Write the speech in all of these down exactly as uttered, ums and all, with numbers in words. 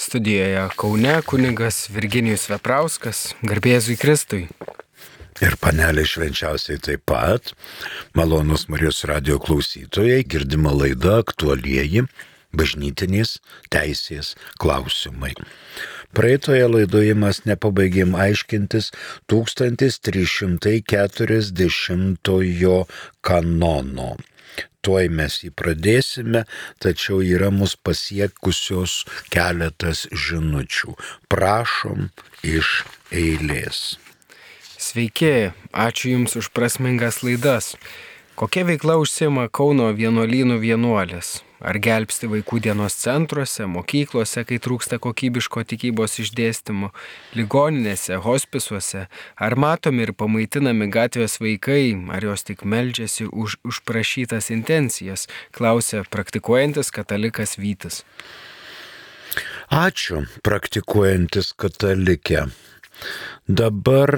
Studijoje Kaune kunigas Virginijus Veprauskas, garbė Jėzui Kristui. Ir panelė švenčiausiai taip pat, malonus Marijos radijo klausytojai, girdima laida aktualieji bažnytinės teisės klausimai. Praeitoje laidoje mes nepabaigėm aiškintis tūkstantis trys šimtai keturiasdešimtojo kanono. Tuoj mes jį pradėsime, tačiau yra mus pasiekusios keletas žinučių. Prašom iš eilės. Sveiki, ačiū Jums už prasmingas laidas. Kokia veikla užsiima Kauno vienuolynų vienuolės? Ar gelbsti vaikų dienos centruose, mokyklose, kai trūksta kokybiško tikybos išdėstymo, ligoninėse, hospisuose? Ar matomi ir pamaitinami gatvės vaikai, ar jos tik meldžiasi už užprašytas intencijas? Klausia praktikuojantis katalikas Vytis. Ačiū, praktikuojantis katalikė. Dabar,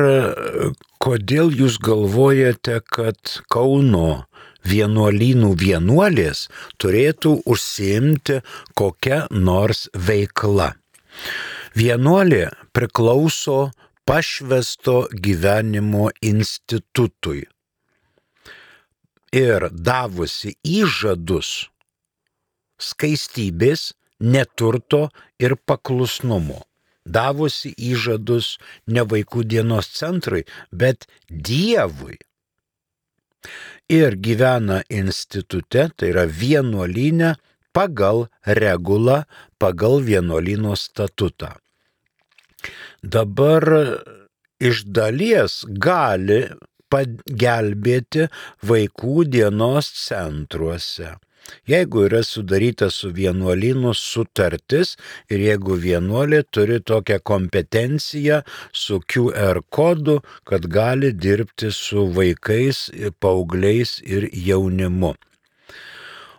kodėl jūs galvojate, kad Kauno vienuolynų vienuolės turėtų užsiimti kokią nors veikla? Vienuolė priklauso pašvęsto gyvenimo institutui ir davusi įžadus skaistybės, neturto ir paklusnumo. Davusi įžadus ne vaikų dienos centrui, bet Dievui. Ir gyvena institute, tai yra vienuolyne, pagal regulą, pagal vienuolyno statutą. Dabar iš dalies gali pagelbėti vaikų dienos centruose. Jeigu yra sudaryta su vienuolynu sutartis ir jeigu vienuolė turi tokią kompetenciją su Q R kodu, kad gali dirbti su vaikais, paaugliais ir jaunimu.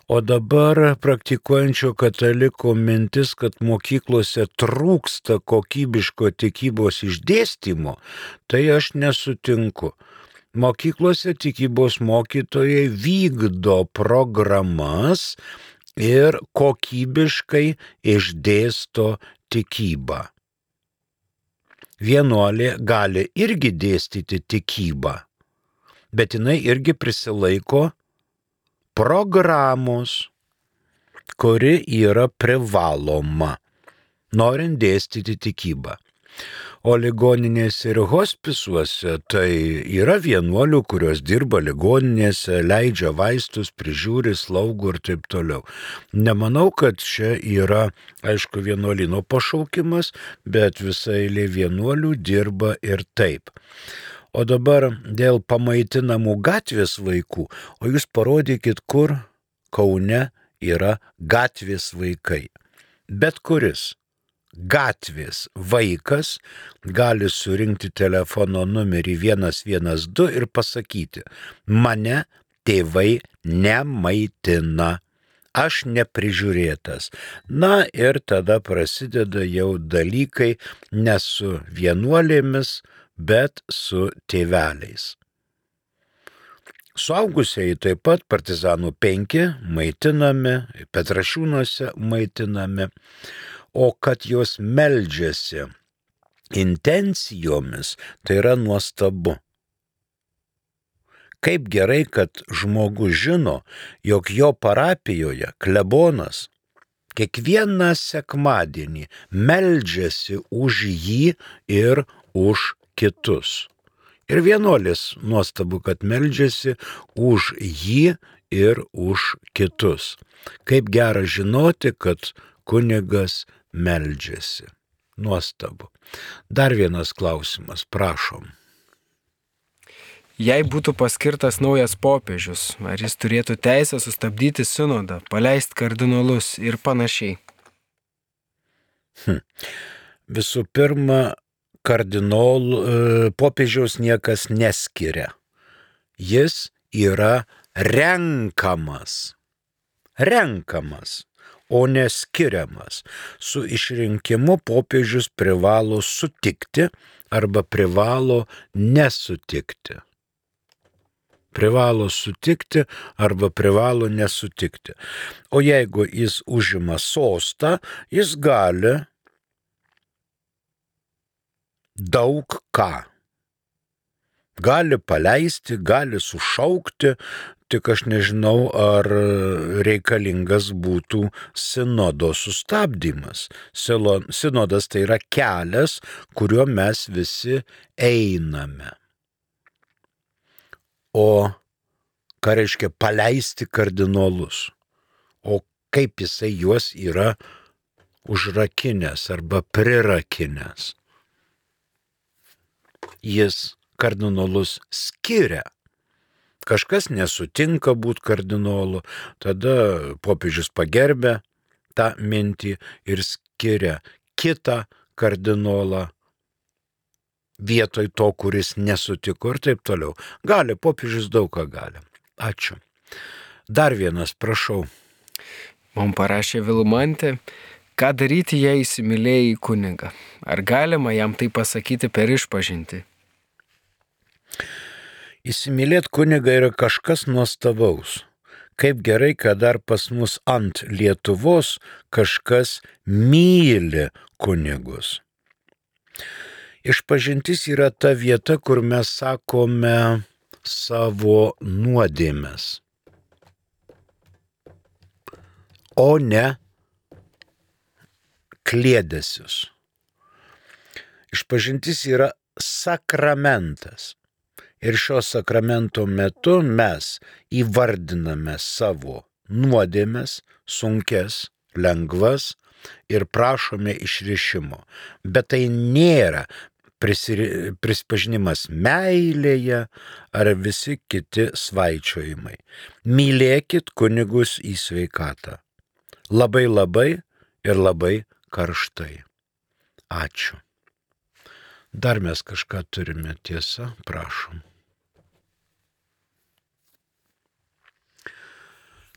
O dabar praktikuojančio kataliko mintis, kad mokyklose trūksta kokybiško tikybos išdėstymo, tai aš nesutinku. Mokyklose tikybos mokytojai vykdo programas ir kokybiškai išdėsto tikybą. Vienuolė gali irgi dėstyti tikybą, bet jinai irgi prisilaiko programos, kuri yra privaloma, norint dėstyti tikybą. O ligoninėse ir hospisuose tai yra vienuolių, kurios dirba ligoninėse, leidžia vaistus, prižiūri, slaugo ir taip toliau. Nemanau, kad čia yra, aišku, vienuolino pašaukimas, bet visa eilė vienuolių dirba ir taip. O dabar dėl pamaitinamų gatvės vaikų, o jūs parodykit, kur Kaune yra gatvės vaikai. Bet kuris gatvės vaikas gali surinkti telefono numerį vienas vienas du ir pasakyti: mane tėvai nemaitina, aš neprižiūrėtas. Na ir tada prasideda jau dalykai ne su vienuolėmis, bet su tėveliais. Suaugusieji taip pat Partizanų penki maitinami, Petrašiūnuose maitinami. O kad jos meldžiasi intencijomis, tai yra nuostabu. Kaip gerai, kad žmogus žino, jog jo parapijoje klebonas kiekvieną sekmadienį meldžiasi už jį ir už kitus. Ir vienuolis nuostabu, kad meldžiasi už jį ir už kitus. Kaip gera žinoti, kad kunigas meldžiasi. Nuostabu. Dar vienas klausimas, prašom. Jei būtų paskirtas naujas popiežius, ar jis turėtų teisę sustabdyti sinodą, paleisti kardinolus ir panašiai? Hm. Visų pirma, kardinolų popiežiaus niekas neskiria. Jis yra renkamas. Renkamas. O neskiriamas. Su išrinkimu popiežius privalo sutikti arba privalo nesutikti. Privalo sutikti arba privalo nesutikti. O jeigu jis užima sostą, jis gali daug ką. Gali paleisti, gali sušaukti, tik aš nežinau, ar reikalingas būtų sinodo sustabdymas. Sinodas tai yra kelias, kuriuo mes visi einame. O ką reiškia paleisti kardinolus? O kaip jisai juos yra užrakinęs arba prirakinęs? Jis kardinolus skiria. Kažkas nesutinka būti kardinolu, tada popiežius pagerbia tą mintį ir skiria kitą kardinolą vietoj to, kuris nesutiko ir taip toliau. Gali, popiežius daug ką gali. Ačiū. Dar vienas, prašau. Man parašė Vilmantė, ką daryti, jei įsimylėjai kunigą? Ar galima jam tai pasakyti per išpažintį? Įsimylėti kunigą yra kažkas nuostabaus. Kaip gerai, kad dar pas mus ant Lietuvos kažkas myli kunigus. Išpažintis yra ta vieta, kur mes sakome savo nuodėmes, o ne kliedesius. Išpažintis yra sakramentas. Ir šio sakramento metu mes įvardiname savo nuodėmes, sunkes, lengvas ir prašome išrišimo. Bet tai nėra prispažinimas meilėje ar visi kiti svaičiojimai. Mylėkit kunigus į sveikatą. Labai labai ir labai karštai. Ačiū. Dar mes kažką turime, tiesa, prašom.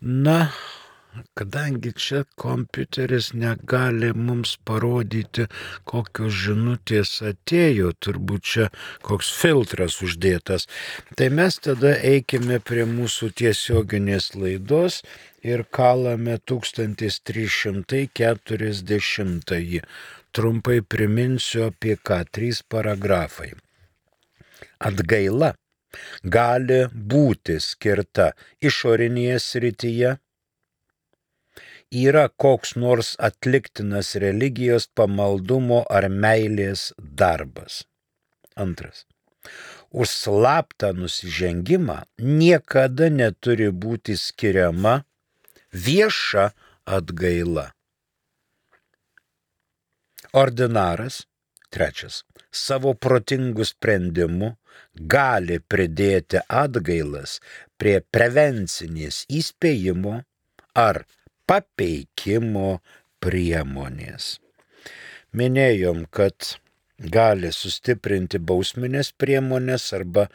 Na, kadangi čia kompiuteris negali mums parodyti, kokios žinutės atėjo, turbūt čia koks filtras uždėtas, tai mes tada eikime prie mūsų tiesioginės laidos ir kalame tūkstantis trys šimtai keturiasdešimtąjį. Trumpai priminsiu apie ką, trys paragrafai. Atgaila gali būti skirta išorinėje srityje, yra koks nors atliktinas religijos pamaldumo ar meilės darbas. Antras. Už slaptą nusižengimą niekada neturi būti skiriama vieša atgaila. Ordinaras, trečias, savo protingų sprendimų gali pridėti atgailas prie prevencinės įspėjimo ar papeikimo priemonės. Minėjom, kad gali sustiprinti bausminės priemonės arba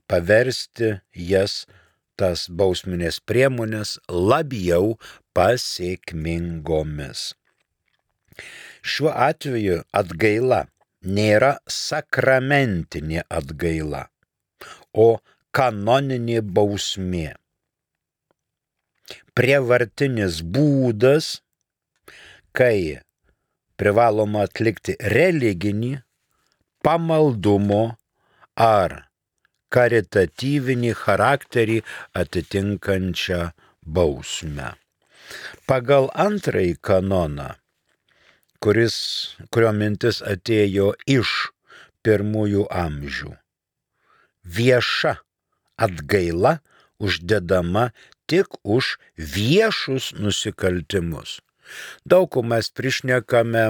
paversti jas, tas bausminės priemonės, labiau pasiekmingomis. Šiuo atveju atgaila nėra sakramentinė atgaila, o kanoninė bausmė. Prievartinis būdas, kai privaloma atlikti religinį, pamaldumo ar karitatyvinį charakterį atitinkančią bausmę. Pagal antrąjį kanoną, kuris, kurio mintis atėjo iš pirmųjų amžių, vieša atgaila uždedama tik už viešus nusikaltimus. Daug ko mes prišnekame,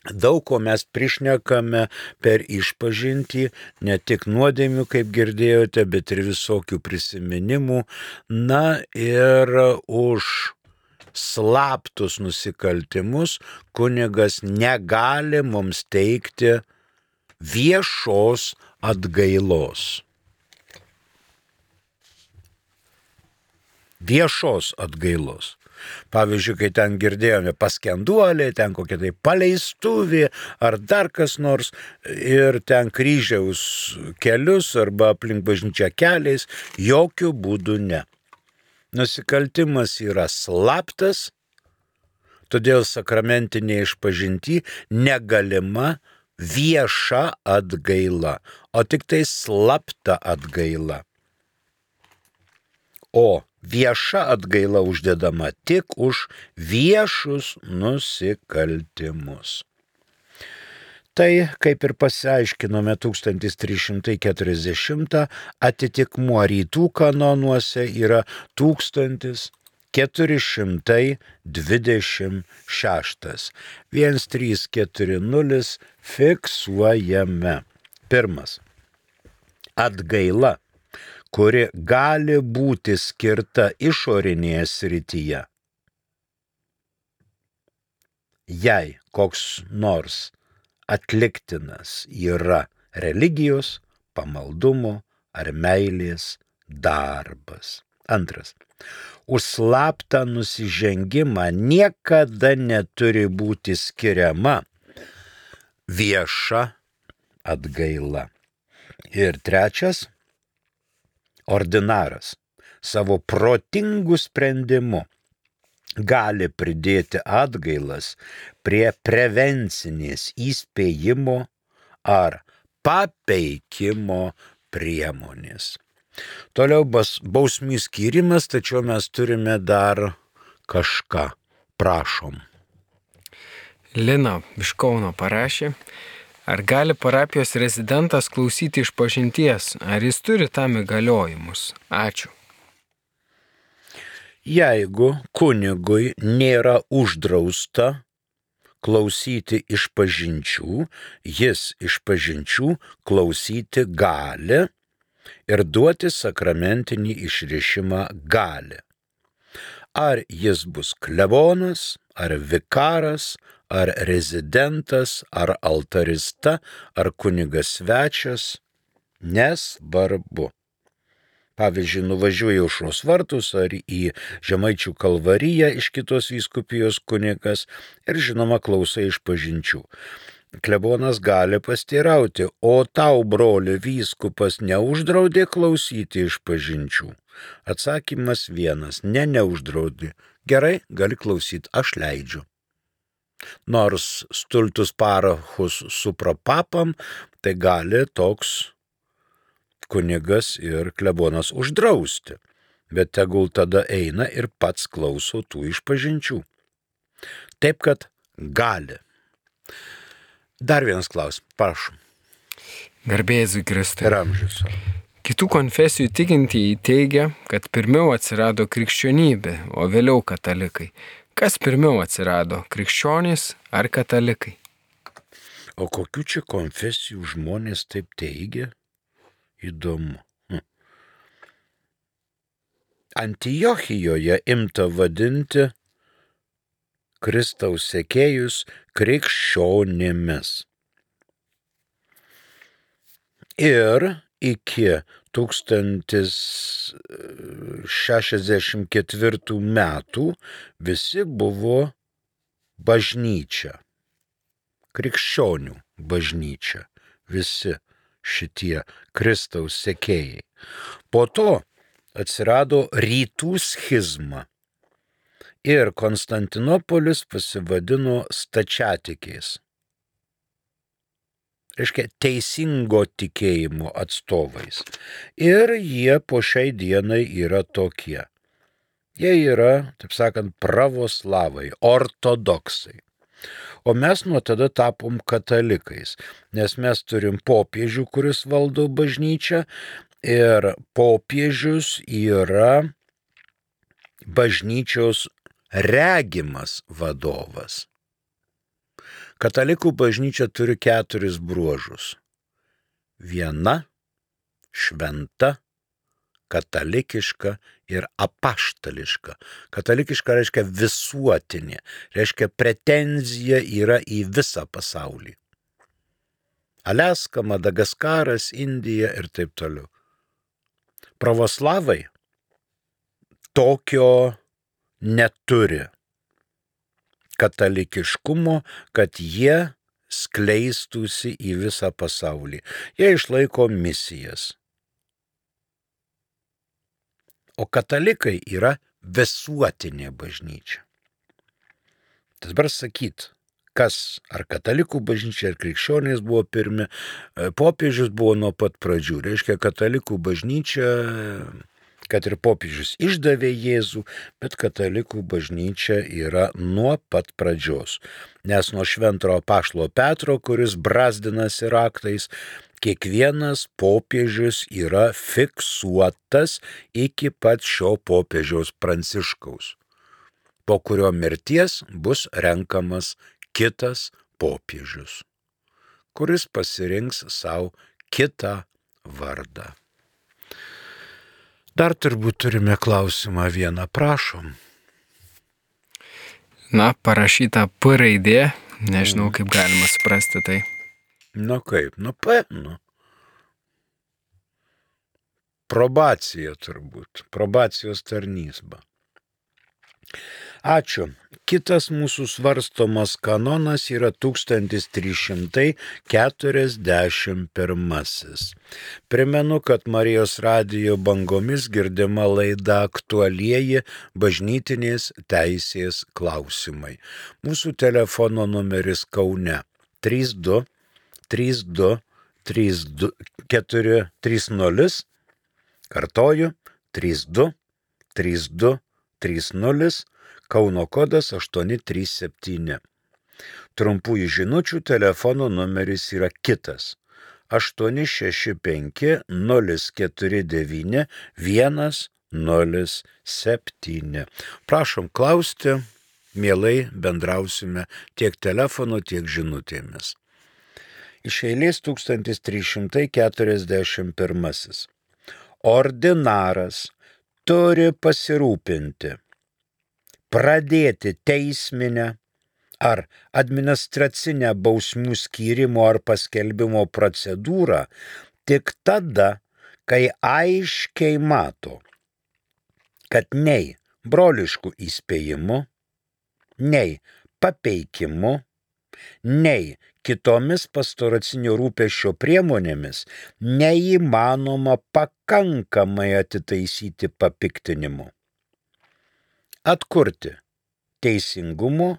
daug ko mes prišnekame per išpažintį, ne tik nuodėmių, kaip girdėjote, bet ir visokių prisiminimų. Na ir už slaptus nusikaltimus kunigas negali mums teikti viešos atgailos. Viešos atgailos. Pavyzdžiui, kai ten girdėjome paskenduolė, ten kokia tai paleistuvė ar dar kas nors ir ten kryžiaus kelius arba aplink bažnyčią keliais, jokių būdų ne. Nusikaltimas yra slaptas, Todėl sakramentinė išpažinty negalima vieša atgaila, o tik tai slapta atgaila. O vieša atgaila uždedama tik už viešus nusikaltimus. Tai, kaip ir pasiaiškinome tūkstantis trys šimtai keturiasdešimtą, atitikmuo rytų kanonuose yra tūkstantis keturi šimtai dvidešimt šeštas. vienas trys keturi nulis fiksuojame. Pirmas. Atgaila, kuri gali būti skirta išorinėje srityje. Jei koks nors atliktinas yra religijos, pamaldumo ar meilės darbas. Antras. Už slaptą nusižengimą niekada neturi būti skiriama vieša atgaila. Ir trečias. Ordinaras savo protingų sprendimų gali pridėti atgailas prie prevencinės įspėjimo ar papeikimo priemonės. Toliau bausmių skyrimas, tačiau mes turime dar kažką. Prašom. Lina iš Kauno parašė, ar gali parapijos rezidentas klausyti išpažinties, ar jis turi tam įgaliojimus? Ačiū. Jeigu kunigui nėra uždrausta klausyti išpažinčių, jis išpažinčių klausyti gali ir duoti sakramentinį išrišimą gali. Ar jis bus klebonas, ar vikaras, ar rezidentas, ar altarista, ar kunigas svečias, nesvarbu. Pavyzdžiui, nuvažiuoja aušros vartus ar į Žemaičių kalvariją iš kitos vyskupijos kunigas ir žinoma klausai išpažinčių. Klebonas gali pasteirauti, o tau, broli, vyskupas neuždraudė klausyti išpažinčių. Atsakymas vienas, ne, neuždraudė. Gerai, gali klausyti, aš leidžiu. Nors stultus parachus suprapapam, tai gali toks kunigas ir klebonas uždrausti, bet tegul tada eina ir pats klauso tų išpažinčių. Taip, kad gali. Dar vienas klausimas, prašom. Garbė Jėzui Kristui. Ir amžius. Kitų konfesijų tikintieji teigia, kad pirmiau atsirado krikščionybė, o vėliau katalikai. Kas pirmiau atsirado, krikščionys ar katalikai? O kokių čia konfesijų žmonės taip teigia? Įdomu. Hm. Antiochijoje imta vadinti Kristaus sekėjus krikščionimis. Ir iki tūkstantis šešiasdešimt ketvirtų metų visi buvo bažnyčia, krikščionių bažnyčia, visi šitie Kristaus sekėjai. Po to atsirado rytų schizma ir Konstantinopolis pasivadino stačiatikiais. Reiškia, teisingo tikėjimo atstovais. Ir jie po šiai dienai yra tokie. Jie yra, taip sakant, pravoslavai, ortodoksai. O mes nuo tada tapom katalikais, nes mes turim popiežių, kuris valdo bažnyčią, ir popiežius yra bažnyčios regimas vadovas. Katalikų bažnyčia turi keturis bruožus. Viena, šventa, katalikiška ir apaštališka. Katalikiška reiškia visuotinė, reiškia pretenzija yra į visą pasaulį. Aliaska, Madagaskaras, Indija ir taip toliau. Pravoslavai tokio neturi katalikiškumo, kad jie skleistųsi į visą pasaulį. Jie išlaiko misijas. O katalikai yra visuotinė bažnyčia. Tas dabar sakyt, kas ar katalikų bažnyčia, ar krikščionys buvo pirmi, popiežius buvo nuo pat pradžių. Reiškia, katalikų bažnyčia, kad ir popiežius išdavė Jėzų, bet katalikų bažnyčia yra nuo pat pradžios. Nes nuo šventojo apaštalo Petro, kuris brazdinasi raktais, kiekvienas popiežius yra fiksuotas iki pat šio popiežiaus Pranciškaus, po kurio mirties bus renkamas kitas popiežius, kuris pasirinks savo kitą vardą. Dar turbūt turime klausimą vieną, prašom. Na, parašyta P raidė, nežinau, kaip galima suprasti tai. Nu kaip, nu P, nu. Probacija turbūt, probacijos tarnysba. Ačiū. Kitas mūsų svarstomas kanonas yra tūkstantis trys šimtai keturiasdešimt pirmasis. Primenu, kad Marijos radijo bangomis girdima laida Aktualieji bažnytinės teisės klausimai. Mūsų telefono numeris Kaune trys du trys du trys du keturi trys nulis, kartoju trys du trys du trys nulis, Kauno kodas aštuoni trys septyni. Trumpųjų žinučių telefono numeris yra kitas aštuoni šeši penki nulis keturi devyni vienas nulis septyni. Prašom klausti, mielai bendrausime tiek telefonu, tiek žinutėmis. Iš eilės tūkstantis trys šimtai keturiasdešimt pirmasis. Ordinaras turi pasirūpinti, pradėti teisminę ar administracinę bausmių skyrimo ar paskelbimo procedūrą tik tada, kai aiškiai mato, kad nei broliškų įspėjimų, nei papeikimu, nei kitomis pastoracinio rūpesčio priemonėmis neįmanoma pakankamai atitaisyti papiktinimu, atkurti teisingumo,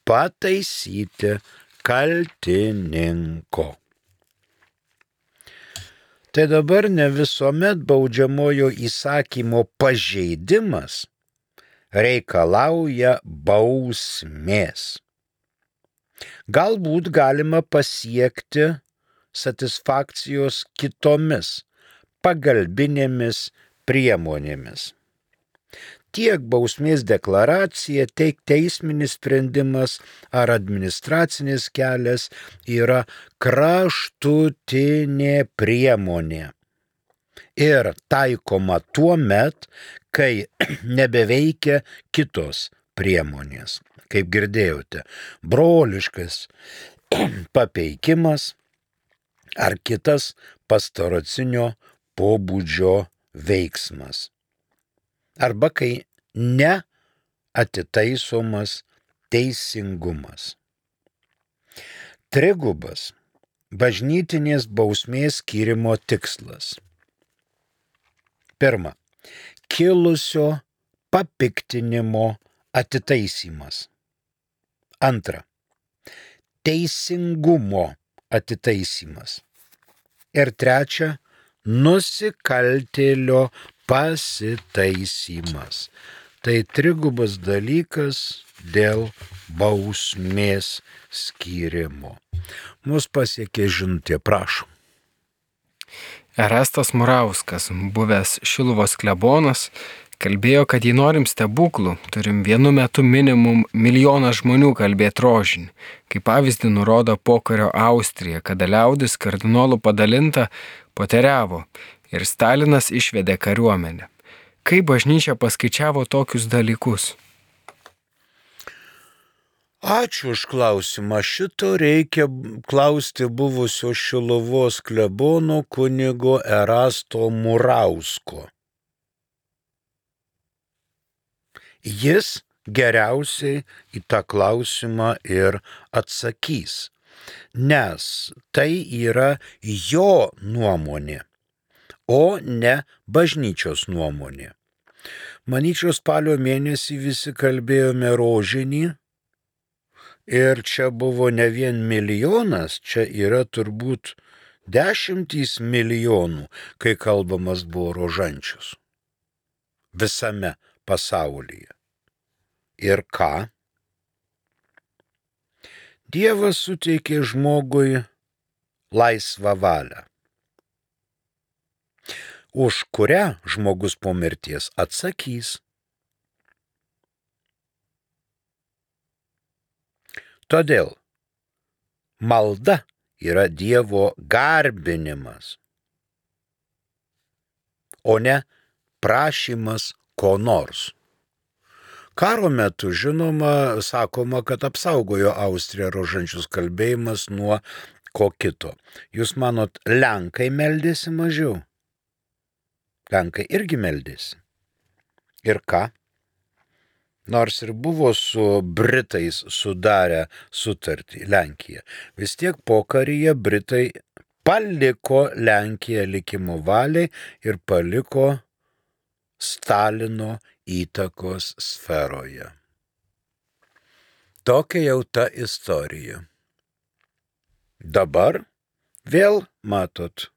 pataisyti kaltininko. Tai dabar ne visuomet baudžiamojo įsakymo pažeidimas reikalauja bausmės. Galbūt galima pasiekti satisfakcijos kitomis pagalbinėmis priemonėmis. Tiek bausmės deklaracija, tiek teisminis sprendimas ar administracinis kelias yra kraštutinė priemonė ir taikoma tuo met, kai nebeveikia kitos priemonės. Kaip girdėjote, broliškas papeikimas ar kitas pastoracinio pobūdžio veiksmas. Arba kai neatitaisomas teisingumas. Trigubas bažnytinės bausmės skyrimo tikslas. Pirma, kilusio papiktinimo atitaisymas. Antra, teisingumo atitaisymas. Ir trečia, nusikaltėlio pasitaisymas. Tai trigubas dalykas dėl bausmės skyrimo. Mus pasiekė žinutė, prašom. Erestas Murauskas, buvęs Šiluvos klebonas, kalbėjo, kad jei norim stebuklų, turim vienu metu minimum milijoną žmonių kalbėti rožinį. Kaip pavyzdį nurodo pokario Austrija, kada liaudis kardinolų padalinta poteriavo ir Stalinas išvedė kariuomenę. Kaip bažnyčia paskaičiavo tokius dalykus? Ačiū už klausimą. Šito reikia klausti buvusio Šiluvos klebono kunigo Erasto Murausko. Jis geriausiai į tą klausimą ir atsakys, nes tai yra jo nuomonė, o ne bažnyčios nuomonė. Manyčiau, spalio mėnesį visi kalbėjome rožinį Ir čia buvo ne vien milijonas, čia yra turbūt dešimtys milijonų, kai kalbamas buvo rožančius visame pasaulyje. Ir ką? Dievas suteikė žmogui laisvą valią, už kurią žmogus po mirties atsakys. Todėl malda yra Dievo garbinimas, o ne prašymas ko nors. Karo metu, žinoma, sakoma, kad apsaugojo Austriją rožančius kalbėjimas nuo ko kito. Jūs manot, Lenkai meldėsi mažiau? Lenkai irgi meldėsi. Ir ką? Nors ir buvo su Britais sudarę sutartį Lenkija, vis tiek pokaryje Britai paliko Lenkiją likimo valiai ir paliko Stalino įtakos sferoje. Tokia jau ta istorija. Dabar vėl, matot,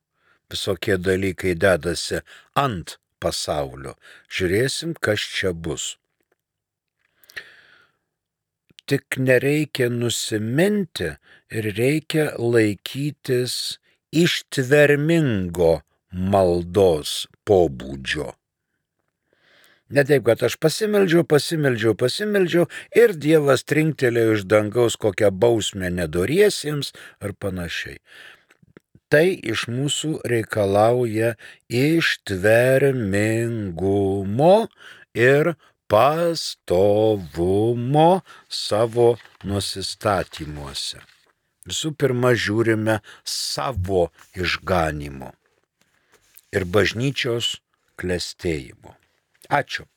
visokie dalykai dedasi ant pasaulio. Žiūrėsim, kas čia bus. Tik nereikia nusiminti ir reikia laikytis ištvermingo maldos pobūdžio. Ne taip, kad aš pasimeldžiau, pasimeldžiau, pasimeldžiau ir Dievas trinktelėjo iš dangaus kokią bausmę nedoriesiems ar panašiai. Tai iš mūsų reikalauja ištvermingumo ir pastovumo savo nusistatymuose. Visų pirma, žiūrime savo išganimo ir bažnyčios klestėjimo. Ačiū.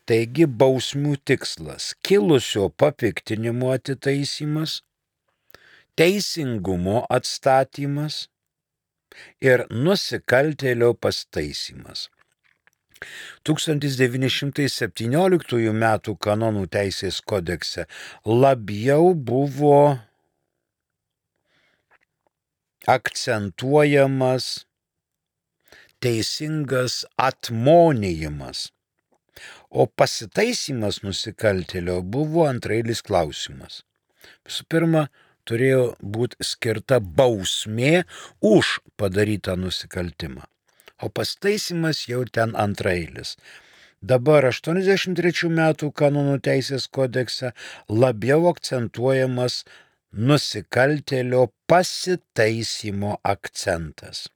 Taigi bausmių tikslas – kilusio papiktinimo atitaisymas, teisingumo atstatymas ir nusikaltėlio pastaisymas. tūkstantis devyni šimtai septynioliktųjų metų kanonų teisės kodekse labiau buvo akcentuojamas teisingas atmonijimas, o pasitaisymas nusikaltėlio buvo antrailis klausimas. Visų pirma, turėjo būti skirta bausmė už padarytą nusikaltimą, o pasitaisymas jau ten antrailis. Dabar aštuoniasdešimt trečių metų kanonų teisės kodekse labiau akcentuojamas nusikaltėlio pasitaisymo akcentas.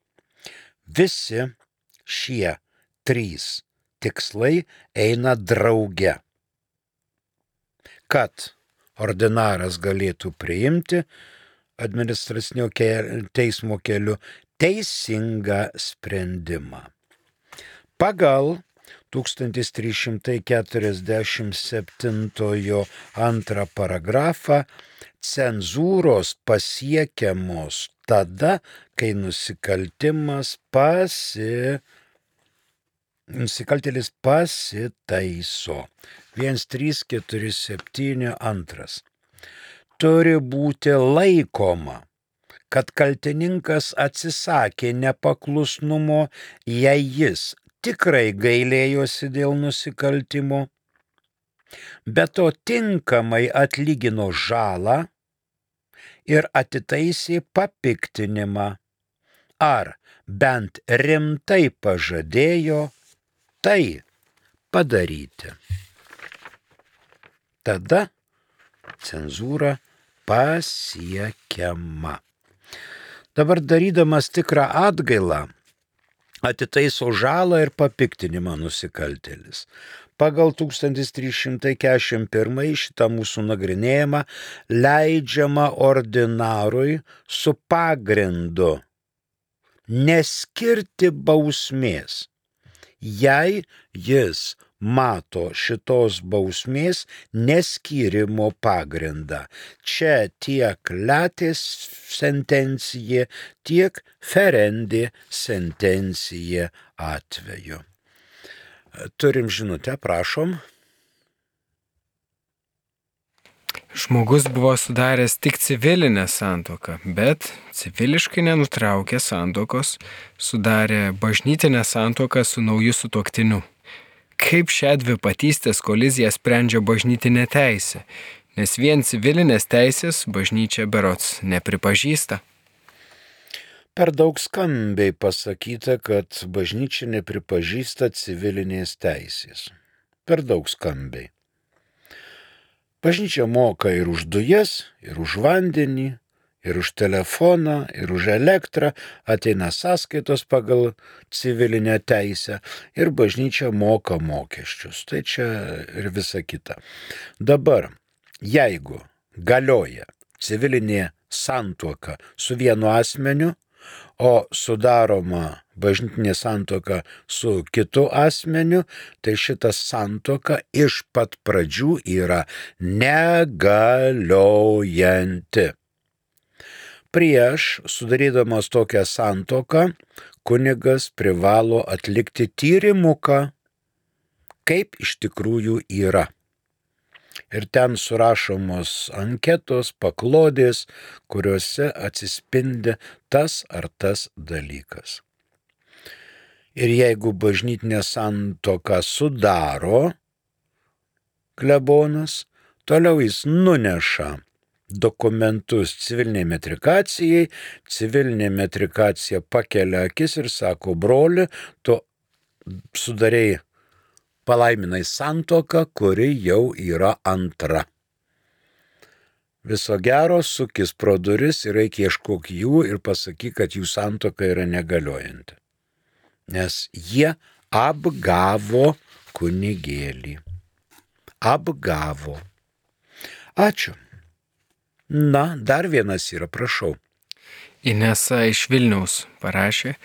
Visi šie trys tikslai eina drauge, kad ordinaras galėtų priimti administracinio teismo keliu teisingą sprendimą. Pagal tūkstantis trys šimtai keturiasdešimt septintojo antrą paragrafą cenzūros pasiekiamos tada, kai nusikaltimas pasi... nusikaltėlis pasitaiso. vienas trys keturi septyni antras. Turi būti laikoma, kad kaltininkas atsisakė nepaklusnumo, jei jis tikrai gailėjosi dėl nusikaltimo, bet to tinkamai atlygino žalą ir atitaisė papiktinimą, ar bent rimtai pažadėjo tai padaryti. Tada cenzūra pasiekiama. Dabar darydamas tikrą atgailą, atitaiso žalą ir papiktinimą nusikaltėlis. Pagal tūkstantis trys šimtai keturiasdešimt pirmą šitą mūsų nagrinėjimą leidžiama ordinarui su pagrindu neskirti bausmės, jei jis mato šitos bausmės neskyrimo pagrindą. Čia tiek latės sentencija, tiek ferendė sentencija atveju. Turim žinutę, prašom. Žmogus buvo sudaręs tik civilinę santuoką, bet civiliškai nenutraukė santuokos, sudarė bažnytinę santuoką su nauju sutuoktiniu. Kaip šią dvipatystės koliziją sprendžia bažnytinė teisė, nes vien civilinės teisės bažnyčia berods nepripažįsta. Per daug skambiai pasakyta, kad bažnyčia nepripažįsta civilinės teisės. Per daug skambiai. Bažnyčia moka ir už dujas, ir už vandenį, ir už telefoną, ir už elektrą, ateina sąskaitos pagal civilinę teisę ir bažnyčia moka mokesčius. Tai čia ir visa kita. Dabar, jeigu galioja civilinė santuoka su vienu asmeniu, o sudaroma bažnytinė santuoka su kitu asmeniu, tai šita santuoka iš pat pradžių yra negaliojanti. Prieš sudarydamas tokią santuoką, kunigas privalo atlikti tyrimuką, kaip iš tikrųjų yra. Ir ten surašomos anketos, paklodės, kuriuose atsispindi tas ar tas dalykas. Ir jeigu bažnytinę santuoką sudaro klebonas, toliau jis nuneša dokumentus civiliniai metrikacijai, civilinė metrikacija pakelia akis ir sako: broli, tu sudarei palaiminai santuoką, kuri jau yra antra. Viso gero, sukis pro duris ir eik ieškok jų ir pasakyk, kad jų santuoka yra negaliojanti. Nes jie apgavo kunigėlį. Apgavo. Ačiū. Na, dar vienas yra, prašau. Inesa iš Vilniaus parašė: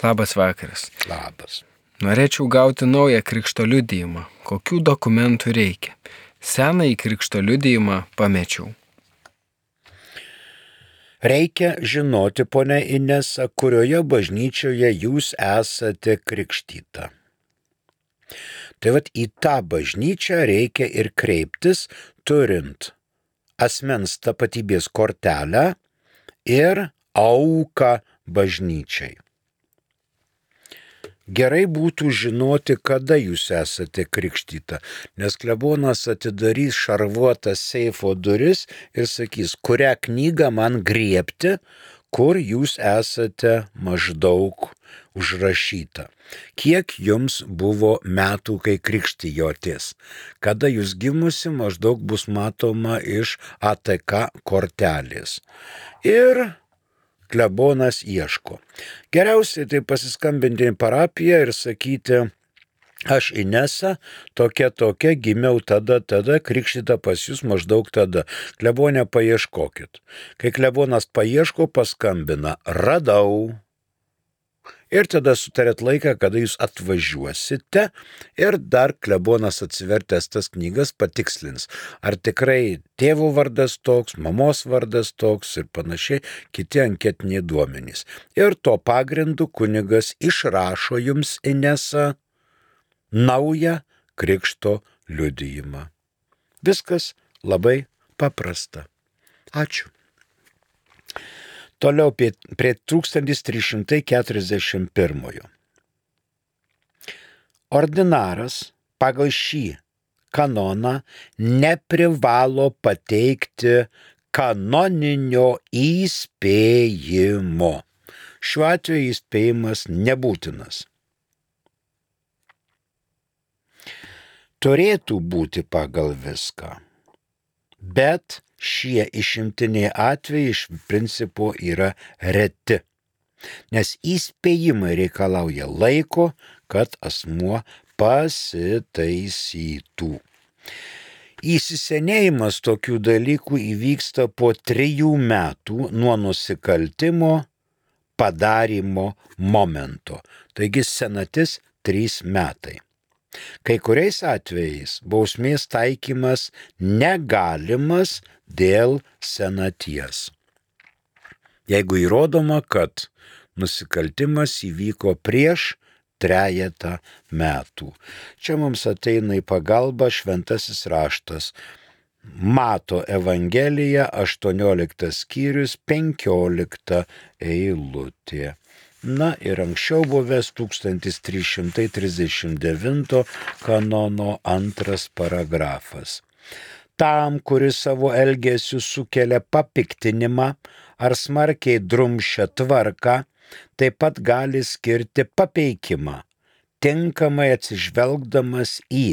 labas vakaras. Labas. Norėčiau gauti naują krikšto liudijimą. Kokių dokumentų reikia? Senąjį krikšto liudijimą pamečiau. Reikia žinoti, ponia Inesa, kurioje bažnyčioje jūs esate krikštyta. Tai vat į tą bažnyčią reikia ir kreiptis, turint asmens tapatybės kortelę ir auką bažnyčiai. Gerai būtų žinoti, kada jūs esate krikštyta, nes klebonas atidarys šarvuotą seifo duris ir sakys, kurią knygą man griebti, kur jūs esate maždaug užrašyta. Kiek jums buvo metų, kai krikštijotės? Kada jūs gimusi, maždaug bus matoma iš A T K kortelės. Ir klebonas ieško. Geriausiai tai pasiskambinti į parapiją ir sakyti: aš Inesa, tokia tokia, gimiau tada, tada, krikštyta pas jūs maždaug tada. Klebonę paieškokit. Kai klebonas paieško, paskambina: radau. Ir tada sutarėt laiką, kada jūs atvažiuosite ir dar klebonas atsivertęs tas knygas patikslins, ar tikrai tėvo vardas toks, mamos vardas toks ir panašiai, kiti anketiniai duomenys. Ir to pagrindu kunigas išrašo jums, Inesa, naują krikšto liudijimą. Viskas labai paprasta. Ačiū. Toliau prie tūkstantis trys šimtai keturiasdešimt pirmojo. Ordinaras pagal šį kanoną neprivalo pateikti kanoninio įspėjimo. Šiuo atveju įspėjimas nebūtinas. Turėtų būti pagal viską, bet šie išimtiniai atvejai iš principo yra reti, nes įspėjimai reikalauja laiko, kad asmuo pasitaisytų. Įsisenėjimas tokių dalykų įvyksta po trijų metų nuo nusikaltimo padarymo momento, taigi senatis trys metai. Kai kuriais atvejais bausmės taikymas negalimas dėl senaties. Jeigu įrodoma, kad nusikaltimas įvyko prieš trejetą metų. Čia mums ateina į pagalbą šventasis raštas. Mato Evangelija, aštuonioliktas skyrius, penkiolikta eilutė. Na ir anksčiau buvęs tūkstantis trys šimtai trisdešimt devinto kanono antras paragrafas. Tam, kuris savo elgesiu sukelia papiktinimą ar smarkiai drumsčia tvarką, taip pat gali skirti papeikimą, tinkamai atsižvelgdamas į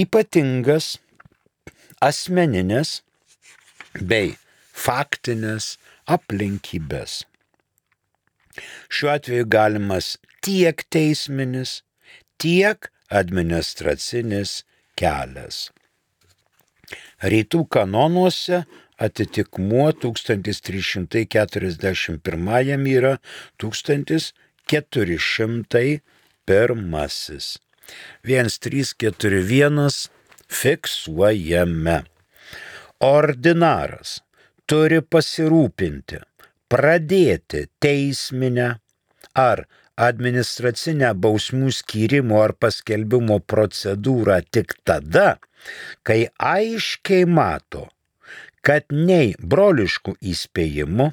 ypatingas asmeninės bei faktinės aplinkybės. Šiuo atveju galimas tiek teisminis, tiek administracinis kelias. Rytų kanonuose atitikmuo tūkstantis trys šimtai keturiasdešimt pirmajam yra tūkstantis keturi šimtai pirmasis. vienas trys keturi vienas fiksuojame. Ordinaras turi pasirūpinti, pradėti teisminę ar administracinę bausmių skyrimo ar paskelbimo procedūrą tik tada, kai aiškiai mato, kad nei broliškų įspėjimų,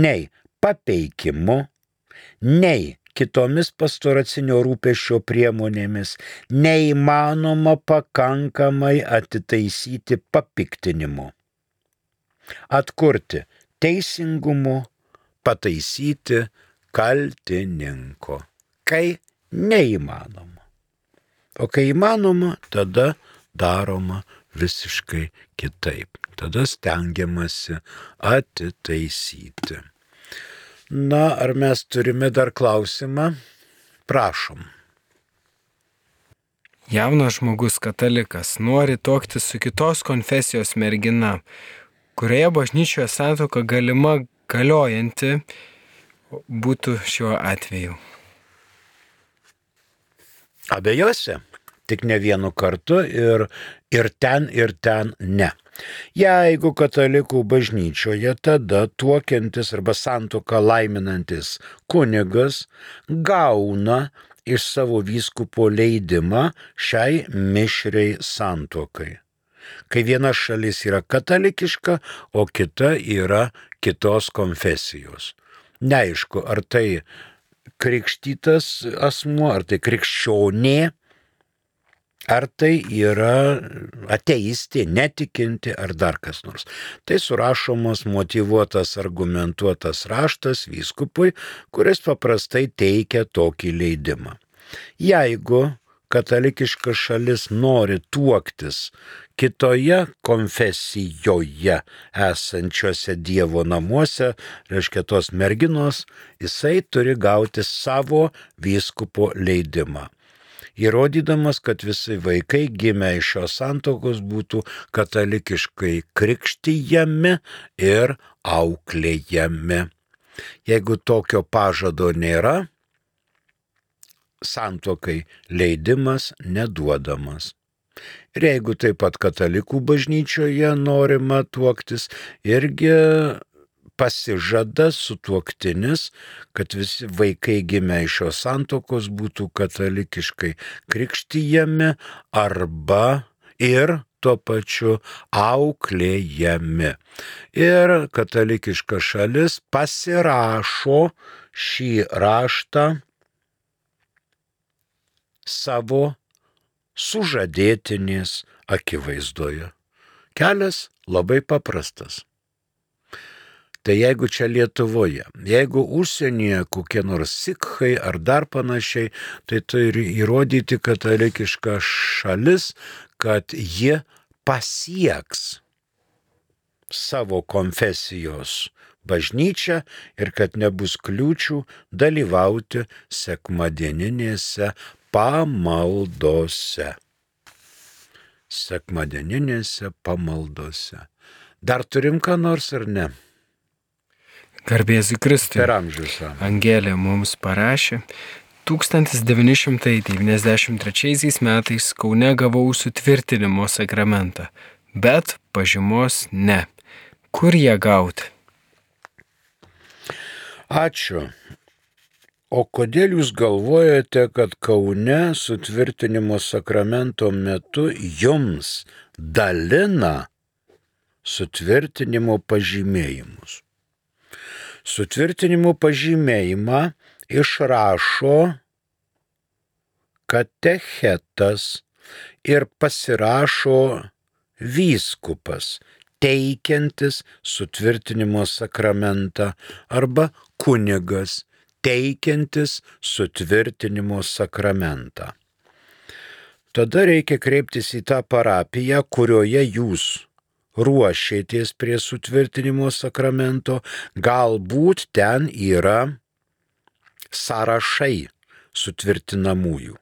nei papeikimu, nei kitomis pastoracinio rūpesčio priemonėmis neįmanoma pakankamai atitaisyti papiktinimu, atkurti teisingumu, pataisyti kaltininko, kai neįmanoma. O kai įmanoma, tada daroma visiškai kitaip. Tada stengiamasi atitaisyti. Na, ar mes turime dar klausimą? Prašom. Jaunas žmogus katalikas nori tuoktis su kitos konfesijos mergina, kurioje bažnyčioje santuoka galima galiojanti būtų šiuo atveju. Abiejose, tik ne vienu kartu ir, ir ten, ir ten ne. Jeigu katalikų bažnyčioje, tada tuokiantis arba santuoką laiminantis kunigas gauna iš savo vyskupo leidimą šiai mišriai santuokai. Kai viena šalis yra katalikiška, o kita yra kitos konfesijos. Neaišku, ar tai krikštytas asmuo, ar tai krikščionė, ar tai yra ateistė, netikinti, ar dar kas nors. Tai surašomas motyvuotas, argumentuotas raštas vyskupui, kuris paprastai teikia tokį leidimą. Jeigu katalikiška šalis nori tuoktis kitoje konfesijoje esančiose Dievo namuose, reiškia tos merginos, jisai turi gauti savo vyskupo leidimą, įrodydamas, kad visi vaikai gimę iš šios santuokos būtų katalikiškai krikštijami ir auklėjami. Jeigu tokio pažado nėra, santuokai leidimas neduodamas. Ir jeigu taip pat katalikų bažnyčioje norima tuoktis, irgi pasižada sutuoktinis, kad visi vaikai gimę iš šios santuokos būtų katalikiškai krikštijami arba ir tuo pačiu auklėjami. Ir katalikiška šalis pasirašo šį raštą savo sužadėtinės akivaizdoje. Kelias labai paprastas. Tai jeigu čia Lietuvoje, jeigu užsienyje kokie nors sikhai ar dar panašiai, tai turi įrodyti katalikiška šalis, kad ji pasieks savo konfesijos bažnyčią ir kad nebus kliūčių dalyvauti sekmadieninėse pamaldose. Sekmadieninėse pamaldose. Dar turim ką nors ar ne? Garbėsiu Kristui. Per amžius. Angelė mums parašė, tūkstantis devyni šimtai devyniasdešimt trečiaisiais metais Kaune gavau sutvirtinimo sakramentą, bet pažymos ne. Kur ją gauti? Ačiū O kodėl jūs galvojate, kad Kaune sutvirtinimo sakramento metu jums dalina sutvirtinimo pažymėjimus? Sutvirtinimo pažymėjimą išrašo katechetas ir pasirašo vyskupas, teikiantis sutvirtinimo sakramentą, arba kunigas, teikiantis sutvirtinimo sakramentą. Tada reikia kreiptis į tą parapiją, kurioje jūs ruošėtės prie sutvirtinimo sakramento, galbūt ten yra sąrašai sutvirtinamųjų.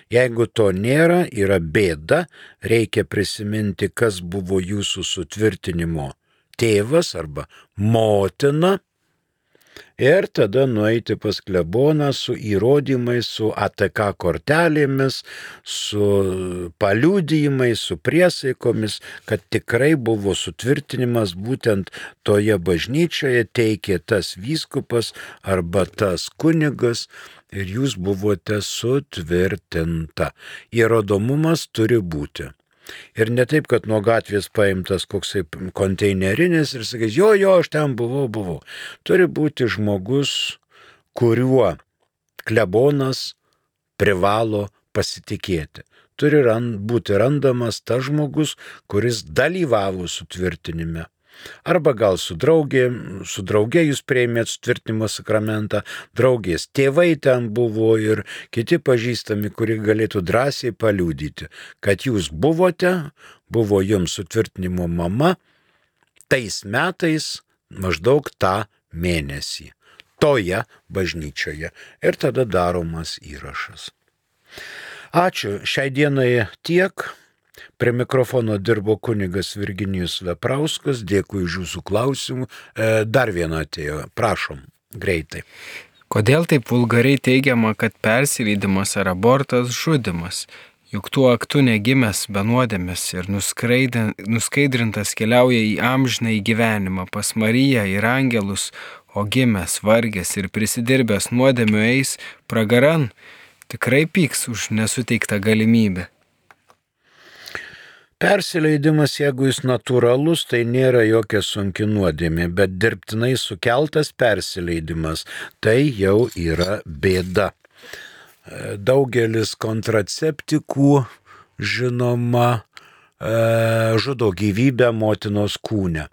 Jeigu to nėra, yra bėda, reikia prisiminti, kas buvo jūsų sutvirtinimo tėvas arba motina, ir tada nueiti pas kleboną su įrodymais, su A T K kortelėmis, su paliudijimais, su priesaikomis, kad tikrai buvo sutvirtinimas būtent toje bažnyčioje, teikė tas vyskupas arba tas kunigas ir jūs buvote sutvirtinta. Įrodomumas turi būti. Ir ne taip, kad nuo gatvės paimtas koksai konteinerinis ir sakys, jo, jo, aš ten buvau, buvau. Turi būti žmogus, kuriuo klebonas privalo pasitikėti. Turi rand, būti randamas tas žmogus, kuris dalyvavo sutvirtinime. Arba gal su draugė, su draugė jūs priėmėt sutvirtinimo sakramentą, draugės tėvai ten buvo ir kiti pažįstami, kurie galėtų drąsiai paliudyti, kad jūs buvote, buvo jums sutvirtinimo mama, tais metais maždaug tą mėnesį, toje bažnyčioje. Ir tada daromas įrašas. Ačiū, šiai dienai tiek. Prie mikrofono dirbo kunigas Virginijus Veprauskas, dėkui už jūsų klausimų. E, dar viena atėjo, prašom, greitai. Kodėl taip vulgariai teigiama, kad persileidimas ar abortas žudimas? Juk tuo aktu negimęs be nuodėmės ir nuskaidrintas keliauja į amžiną į gyvenimą pas Mariją ir angelus, o gimęs, vargęs ir prisidirbęs nuodėmių eis pragaran, tikrai pyks už nesuteiktą galimybę. Persileidimas, jeigu jis natūralus, tai nėra jokia sunki nuodėmė, bet dirbtinai sukeltas persileidimas, tai jau yra bėda. Daugelis kontraceptikų, žinoma, žudo gyvybę motinos kūne.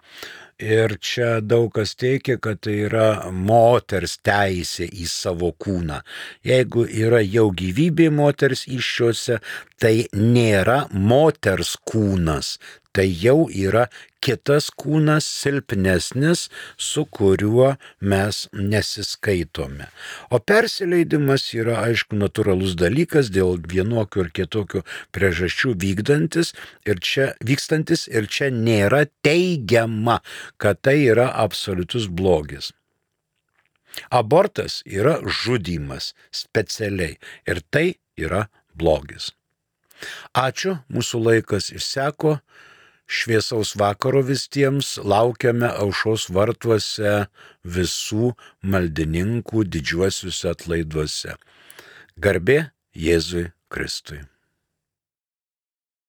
Ir čia daug kas teikia, kad tai yra moters teisė į savo kūną. Jeigu yra jau gyvybė moters įsčiose, tai nėra moters kūnas. Tai jau yra kitas kūnas, silpnesnis, su kuriuo mes nesiskaitome. O persileidimas yra, aišku, natūralus dalykas dėl vienokių ir kitokių priežasčių vykdantis ir čia, vykstantis ir čia nėra teigiama, kad tai yra absoliutus blogis. Abortas yra žudymas specialiai ir tai yra blogis. Ačiū, mūsų laikas išseko. Šviesaus vakaro visiems, laukiame aušros vartuose visų maldininkų didžiuosiuose atlaiduose. Garbė Jėzui Kristui.